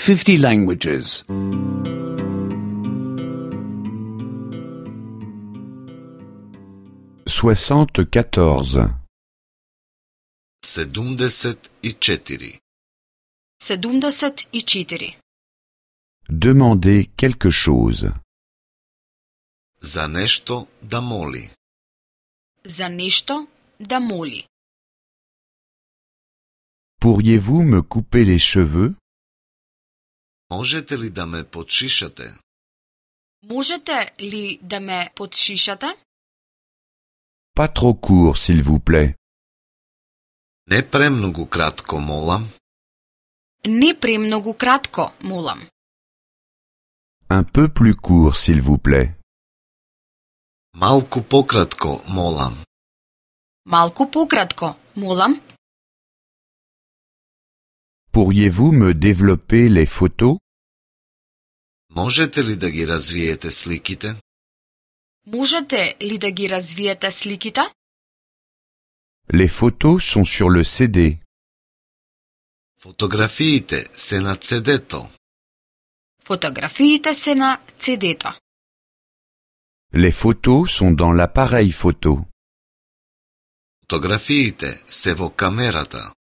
50 languages. 74. 74. 74. Demander quelque chose. За нешто да моли. За нешто да моли. Pourriez-vous me couper les cheveux? Можете ли да ме подшишате? Можете ли да ме подшишате? Pas trop court, s'il vous plaît. Не премногу кратко, молам. Не премногу кратко, молам. Un peu plus court, s'il vous plaît. Малку пократко, молам. Малку пократко, молам. Pourriez-vous me développer les photos? Можете ли да ги развиете сликите? Можете ли да ги развиете сликите? Les photos sont sur le CD. Фотографиите се на CD-то. Фотографиите се на CD-то. Les photos sont dans l'appareil photo. Фотографиите се во камерата.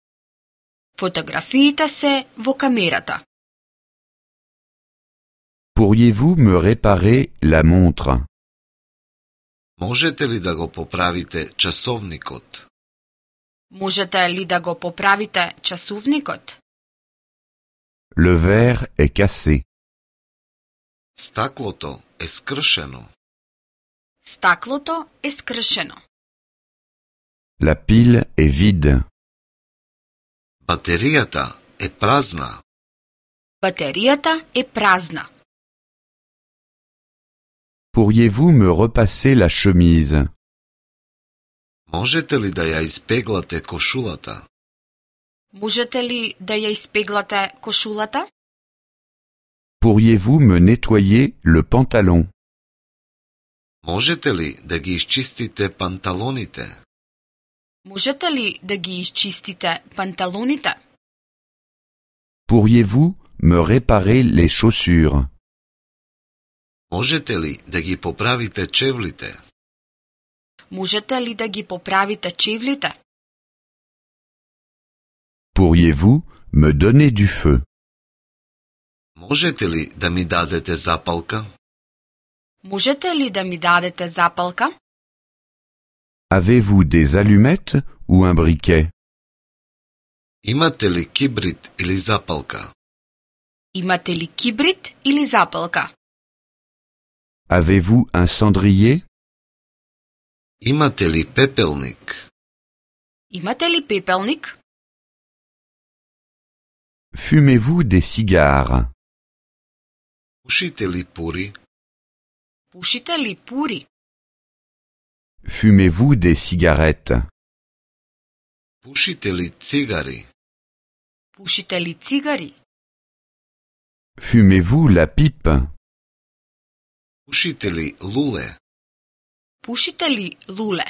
Фотографиите се во камерата. Pourriez-vous me réparer la montre? Можете ли да го поправите часовникот? Можете ли да го поправите часовникот? Le verre est cassé. Стаклото е скршено. Стаклото е скршено. La pile est vide. Батеријата е празна. Батеријата е празна. Pourriez-vous me repasser la chemise? Можете ли да ја испеглате кошулата? Можете ли да ја испеглате кошулата? Pourriez-vous me nettoyer le pantalon? Можете ли да ги изчистите панталоните? Можете ли да ги изчистите панталоните? Pourriez-vous me réparer les chaussures? Можете ли да ги поправите чевлите? Можете ли да ги поправите чевлите? Pourriez-vous me donner du feu? Можете ли да ми дадете запалка? Можете ли да ми дадете запалка? Avez-vous des allumettes ou un briquet? Имате ли кибрит или запалка? Имате ли кибрит или запалка? Avez-vous un cendrier? Имате ли пепелник? Имате ли пепелник? Fumez-vous des cigares? Пушите ли пури? Пушите ли пури? Fumez-vous des cigarettes? Пушите ли цигари? Пушите ли цигари? Fumez-vous la pipe? Пушите ли луле? Пушите ли луле?